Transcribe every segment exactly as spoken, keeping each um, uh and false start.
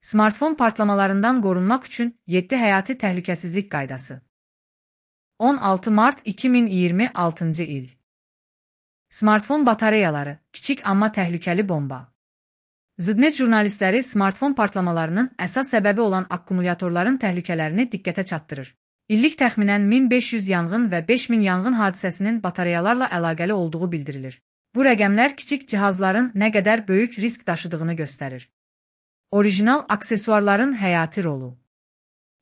Smartfon partlamalarından qorunmaq üçün yeddi həyati təhlükəsizlik qaydası. on altı mart iki min iyirmi altıncı il. Smartfon batareyaları, kiçik amma təhlükəli bomba. Zidnet jurnalistləri smartfon partlamalarının əsas səbəbi olan akkumulyatorların təhlükələrini diqqətə çatdırır. İllik təxminən min beş yüz yanğın və beş min yanğın hadisəsinin batareyalarla əlaqəli olduğu bildirilir. Bu rəqəmlər kiçik cihazların nə qədər böyük risk daşıdığını göstərir. Orijinal aksesuarların həyati rolu.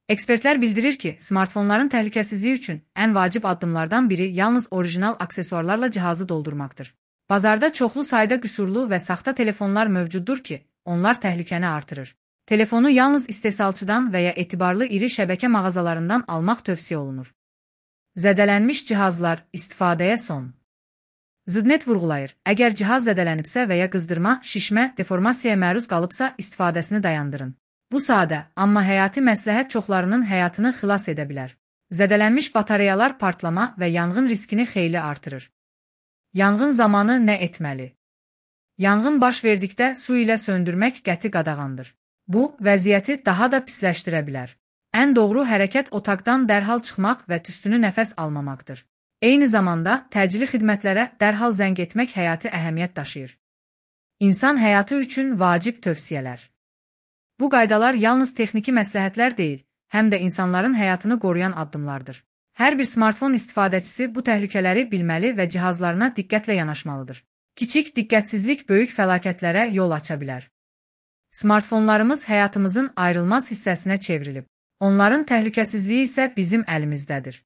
Ekspertlər bildirir ki, smartfonların təhlükəsizliyi üçün ən vacib addımlardan biri yalnız orijinal aksesuarlarla cihazı doldurmaqdır. Bazarda çoxlu sayda qüsurlu və saxta telefonlar mövcuddur ki, onlar təhlükəni artırır. Telefonu yalnız istehsalçıdan və ya etibarlı iri şəbəkə mağazalarından almaq tövsiyə olunur. Zədələnmiş cihazlar, istifadəyə son. Zidnet vurğulayır, əgər cihaz zədələnibsə və ya qızdırma, şişmə, deformasiyaya məruz qalıbsa istifadəsini dayandırın. Bu sadə, amma həyati məsləhət çoxlarının həyatını xilas edə bilər. Zədələnmiş batareyalar partlama və yanğın riskini xeyli artırır. Yanğın zamanı nə etməli? Yanğın baş verdikdə su ilə söndürmək qəti qadağandır. Bu, vəziyyəti daha da pisləşdirə bilər. Ən doğru hərəkət otaqdan dərhal çıxmaq və tüstünü nəfəs almamaqdır. Eyni zamanda təcili xidmətlərə dərhal zəng etmək həyati əhəmiyyət daşıyır. İnsan həyatı üçün vacib tövsiyələr. Bu qaydalar yalnız texniki məsləhətlər deyil, həm də insanların həyatını qoruyan addımlardır. Hər bir smartfon istifadəçisi bu təhlükələri bilməli və cihazlarına diqqətlə yanaşmalıdır. Kiçik diqqətsizlik böyük fəlakətlərə yol aça bilər. Smartfonlarımız həyatımızın ayrılmaz hissəsinə çevrilib. Onların təhlükəsizliyi isə bizim əlimizdədir.